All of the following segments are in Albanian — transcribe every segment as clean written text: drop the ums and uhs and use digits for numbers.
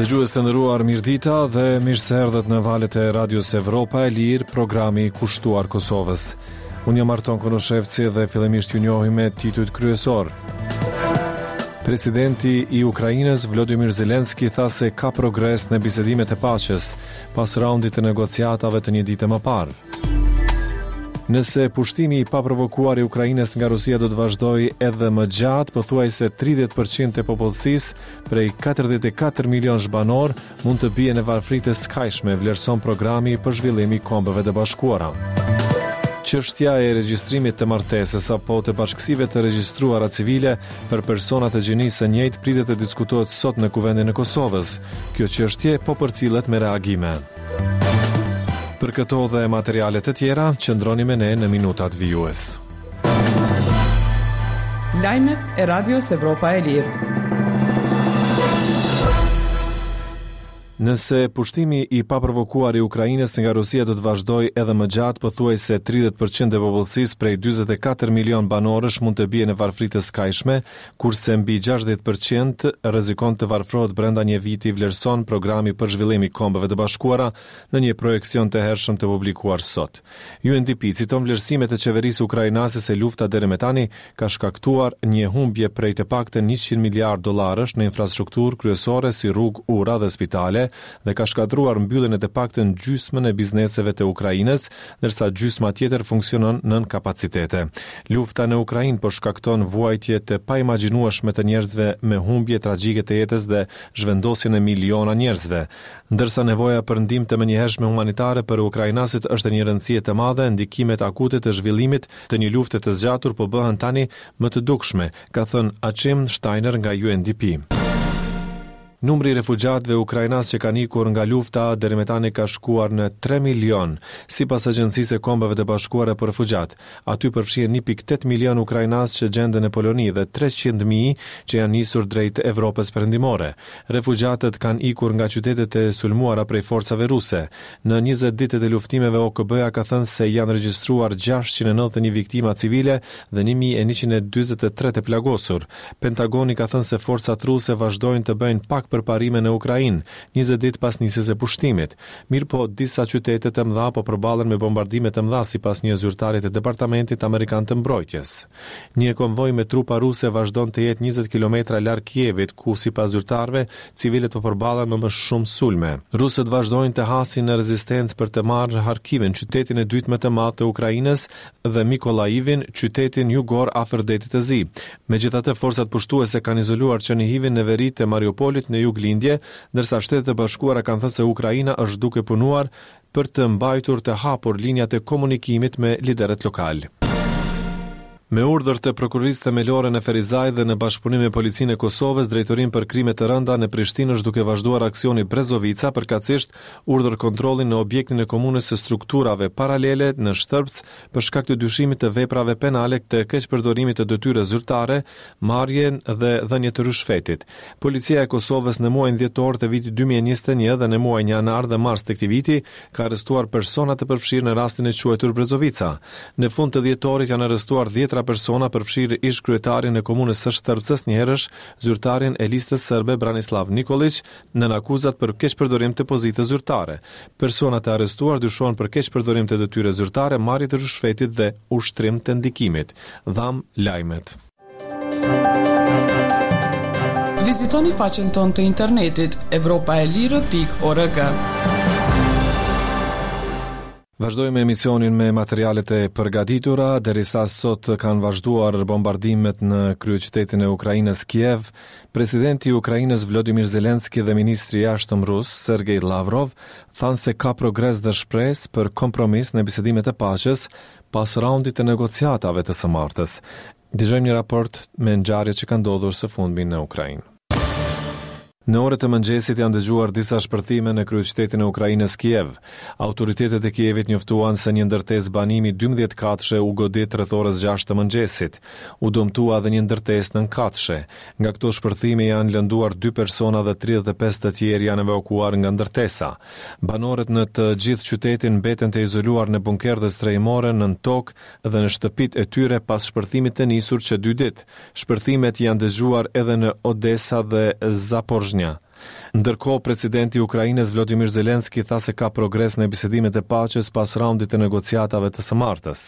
Dëgjues të nderuar, mirëdita dhe mirë se erdhët në valët e Radios Evropa e Lirë, programi kushtuar Kosovës. Unë jam Arton Konushevci dhe fillimisht ju njohim me titujt kryesorë. Presidenti i Ukrainës Volodymyr Zelensky tha se ka progres në bisedimet e paqes pas raundit të negociatave të një dite më parë. Nëse pushtimi i paprovokuar i Ukrainës nga Rusia do të vazhdojë edhe më gjatë, pothuajse 30% e popullsisë prej 44 milionësh banorë mund të bie në varfëri të skajshme, vlerëson programi për zhvillim i Kombeve të Bashkuara. Çështja e regjistrimit të martesës apo të bashkësive të regjistruara civile për persona të gjinisë së njëjtë pritet të diskutohet sot në Kuvendin e Kosovës. Kjo çështje po përcillet me reagime. Për këto dhe materiale të tjera, qëndroni me ne në minutat vijues. Lajmet e Radios Evropa e Lirë. Nëse pushtimi i paprovokuar i Ukrainës nga Rusia do të vazhdojë edhe më gjatë, pothuajse 30% e popullsisë prej 44 milion banorësh mund të bie në varfëri të skajshme, kurse mbi 60% rrezikon të varfërohet brenda një viti, vlerëson programi për zhvillim i Kombeve të Bashkuara në një projeksion të hershëm të publikuar sot. UNDP citon vlerësimet e qeverisë ukrainase se lufta deri më tani ka shkaktuar një humbje prej të paktën 100 miliardë dollarësh në infrastrukturë kryesore si rrugë, ura dhe spitale dhe ka shkatërruar mbylljen e të paktën gjysmën e bizneseve të Ukrainës, ndërsa gjysma tjetër funksionon nën kapacitete. Lufta në Ukrainë po shkakton vuajtje të paimagjinueshme të njerëzve me humbje tragjike të jetës dhe zhvendosjen e miliona njerëzve. Ndërsa nevoja për ndihmë të menjëhershme humanitare për ukrainasit është e një rëndësie të madhe, ndikimet akute të zhvillimit të një lufte të zgjatur po bëhen tani më të dukshme, ka thënë Achim Steiner nga UNDP. Numri i refugjatëve ukrainas që kanë ikur nga lufta deri më tani ka shkuar në 3 milionë, sipas Agjencisë së Kombeve të Bashkuara për Refugjatë. Aty përfshihen 1.8 milionë ukrainas që gjenden në Poloni dhe 300.000 që janë nisur drejt Evropës Perëndimore. Refugjatët kanë ikur nga qytetet e sulmuara prej forcave ruse. Në 20 ditët e luftimeve OKB-ja ka thënë se janë regjistruar 691 viktima civile dhe 1143 të plagosur. Pentagoni ka thënë se forcat ruse vazhdojnë të bëjnë pak përparime në Ukrainë, 20 ditë pas nisjes së pushtimit. Mirëpo, disa qytete të mëdha po përballen me bombardime të mëdha sipas një zyrtari të Departamentit Amerikan të Mbrojtjes. Një konvoj me trupa ruse vazhdon të jetë 20 kilometra larg Kievit, ku sipas zyrtarëve, civilët po përballen me më shumë sulme. Rusët vazhdojnë të hasin në rezistencë për të marrë Harkivin, qytetin e dytë më të madh të Ukrainës, dhe Mikolaivin, qytetin jugor afër Detit të Zi. Megjithatë, forcat pushtuese kanë izoluar Çernihivin në veri të Mariupolit në juglindje, ndërsa Shtetet e Bashkuara kanë thënë se Ukraina është duke punuar për të mbajtur të hapur linjat e komunikimit me liderët lokalë. Me urdhër të Prokurorisë Themelore në Ferizaj dhe në bashkëpunim me Policinë e Kosovës, Drejtorinë për Krime të Rënda në Prishtinë është duke vazhduar aksioni Brezovica, përkatësisht urdhër kontrolli në objektin e Komunës së Strukturave Paralele në Shtërpcë për shkak të dyshimit të veprave penale të keqpërdorimit të detyrës zyrtare, marrjen dhe dhënie të ryshfetit. Policia e Kosovës në muajin dhjetor të vitit 2021 dhe në muajin janar dhe mars të këtij viti ka arrestuar persona të përfshirë në rastin e quajtur Brezovica. Në fund të dhjetorit janë arrestuar dhjetra persona përfshirë ish-kryetarin e komunës së Shtërpcës, njëherësh zyrtarin e listës serbe Branislav Nikoliq, nën akuzat për keqpërdorim të pozitës zyrtare. Personat e arrestuar dyshohen për keqpërdorim të detyrës zyrtare, marrje të ryshfetit dhe ushtrim të ndikimit. Dhamë lajmet. Vizitoni faqen tonë të internetit evropaelire.org. Vazhdojmë emisionin me materialet e përgatitura, derisa sot kanë vazhduar bombardimet në kryeqytetin e Ukrainës Kiev, presidenti i Ukrainës Vladimir Zelenski dhe ministri i jashtëm rus Sergej Lavrov thanë se ka progres dhe shpresë për kompromis në bisedimet e paqes pas raundit të negociatave të së martës. Dëgjojmë një raport me ngjarjet që kanë ndodhur së fundmi në Ukrainë. Në orët e mëngjesit janë dëgjuar disa shpërthime në kryeqytetin e Ukrainës Kiev. Autoritetet e Kievit njoftuan se një ndërtesë banimi 12 katëshe u godit rreth orës 6 të mëngjesit. U dëmtua edhe një ndërtesë nëntëkatëshe. Nga këto shpërthime janë lënduar 2 persona dhe 35 të tjerë janë evakuuar nga ndërtesa. Banorët në të gjithë qytetin mbeten të izoluar në bunkerë dhe strehimore nën tokë dhe në shtëpitë e tyre pas shpërthimit të nisur që dy ditë. Shpërthimet janë dëgjuar edhe në Odesa dhe Zaporizhzhia. Ndërkohë, presidenti i Ukrainës Vladimir Zelensky tha se ka progres në bisedimet e paqes pas raundit të negociatave të së martës.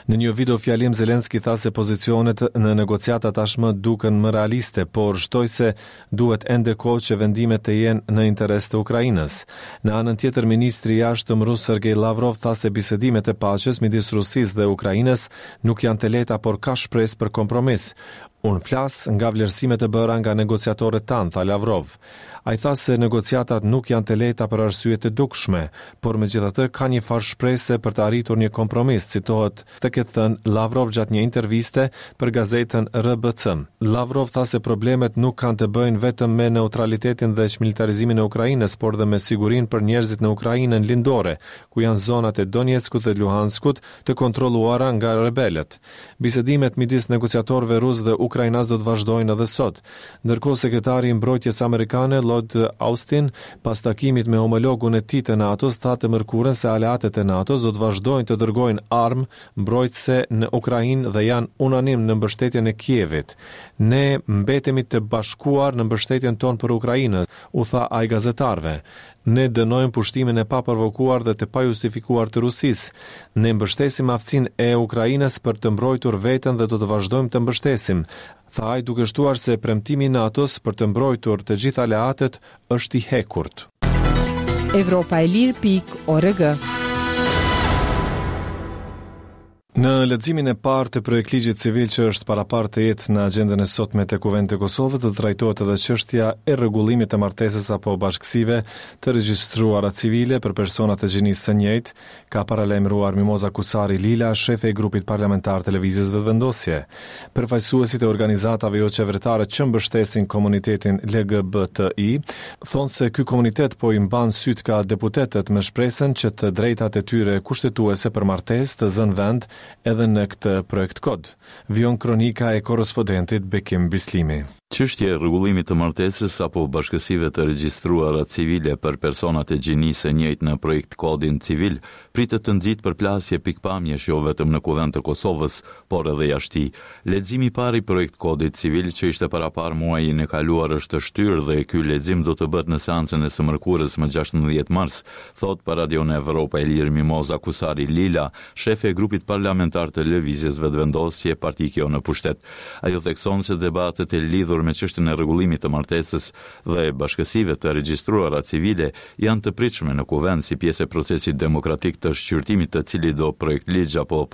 Në një videofjalim Zelensky tha se pozicionet në negociata tashmë duken më realiste, por shtoi se duhet ende kohë që vendimet të jenë në interes të Ukrainës. Në anën tjetër, ministri i Jashtëm rus Sergei Lavrov tha se bisedimet e paqes midis Rusisë dhe Ukrainës nuk janë të lehta, por ka shpresë për kompromis. Unë flas nga vlerësimet e bëra nga negociatorët tanë, tha Lavrov. Ai tha se negociatat nuk janë të lehta për arsye të dukshme, por megjithatë ka një farë shprese për të arritur një kompromis, citohet të ketë thënë Lavrov gjatë një interviste për gazetën RBC. Lavrov tha se problemet nuk kanë të bëjnë vetëm me neutralitetin dhe çmilitarizimin e Ukrainës, por dhe me sigurinë për njerëzit në Ukrainën lindore, ku janë zonat e Donetskut dhe Luhanskut të kontrolluara nga rebelët. Bisedimet midis negociatorëve rusë dhe ukrainas do të vazhdojnë edhe sot. Ndërkohë, sekretari i Mbrojtjes amerikane Lloyd Austin, pas takimit me homologun e tij të NATO-s, tha të mërkurën se aleatët e NATO-s do të vazhdojnë të dërgojnë armë mbrojtëse në Ukrainë dhe janë unanim në mbështetjen e Kievit. Ne mbetemi të bashkuar në mbështetjen tonë për Ukrainën, u tha ai gazetarëve. Ne dënojmë pushtimin e paprovokuar dhe të pajustifikuar të Rusisë. Ne mbështesim aftësinë e Ukrainës për të mbrojtur veten dhe do të vazhdojmë të mbështesim, tha ai duke shtuar se premtimi i NATO-s për të mbrojtur të gjithë aleatët është i hekurt. Evropa e Lirë pikë org. Në leximin e parë të projektligjit civil që është paraparë të jetë në agjendën e sotme të Kuvendit të Kosovës do të trajtohet edhe çështja e rregullimit të martesës apo bashkësive të regjistruara civile për persona të gjinisë së njëjtë, ka paralajmëruar Mimoza Kusari Lila, shefe e grupit parlamentar të Lëvizjes Vetëvendosje. Përfaqësuesit e organizatave joqeveritare që mbështesin komunitetin LGBTI thonë se ky komunitet po i mban sytë ka deputetët me shpresën që të drejtat e tyre kushtetuese për martesë të zënë vend edhe në këtë projektkod. Vijon kronika e korrespondentit Bekim Bislimi. Çështja e rregullimit të martesës apo bashkësive të regjistruara civile për personat e gjinisë së njëjtë në projektkodin civil pritet të nxitë përplasje pikëpamjesh jo vetëm në Kuvend të Kosovës, por edhe jashtë tij. Leximi i parë i projektkodit civil që ishte paraparë muajin e kaluar është shtyrë dhe ky lexim do të bëhet në seancën e së mërkurës më 16 mars, thotë për Radion Evropa e Lirë Mimoza Kusari Lila, shefe e grupit parlamentar të Lëvizjes Vetëvendosje, parti kjo në pushtet. Ajo thekson se debatet e lidhur me çështjen e rregullimit të martesës dhe bashkësive të regjistruara civile janë të pritshme në Kuvend si pjesë e procesit demokratik të shqyrtimit të cilitdo projektligj apo.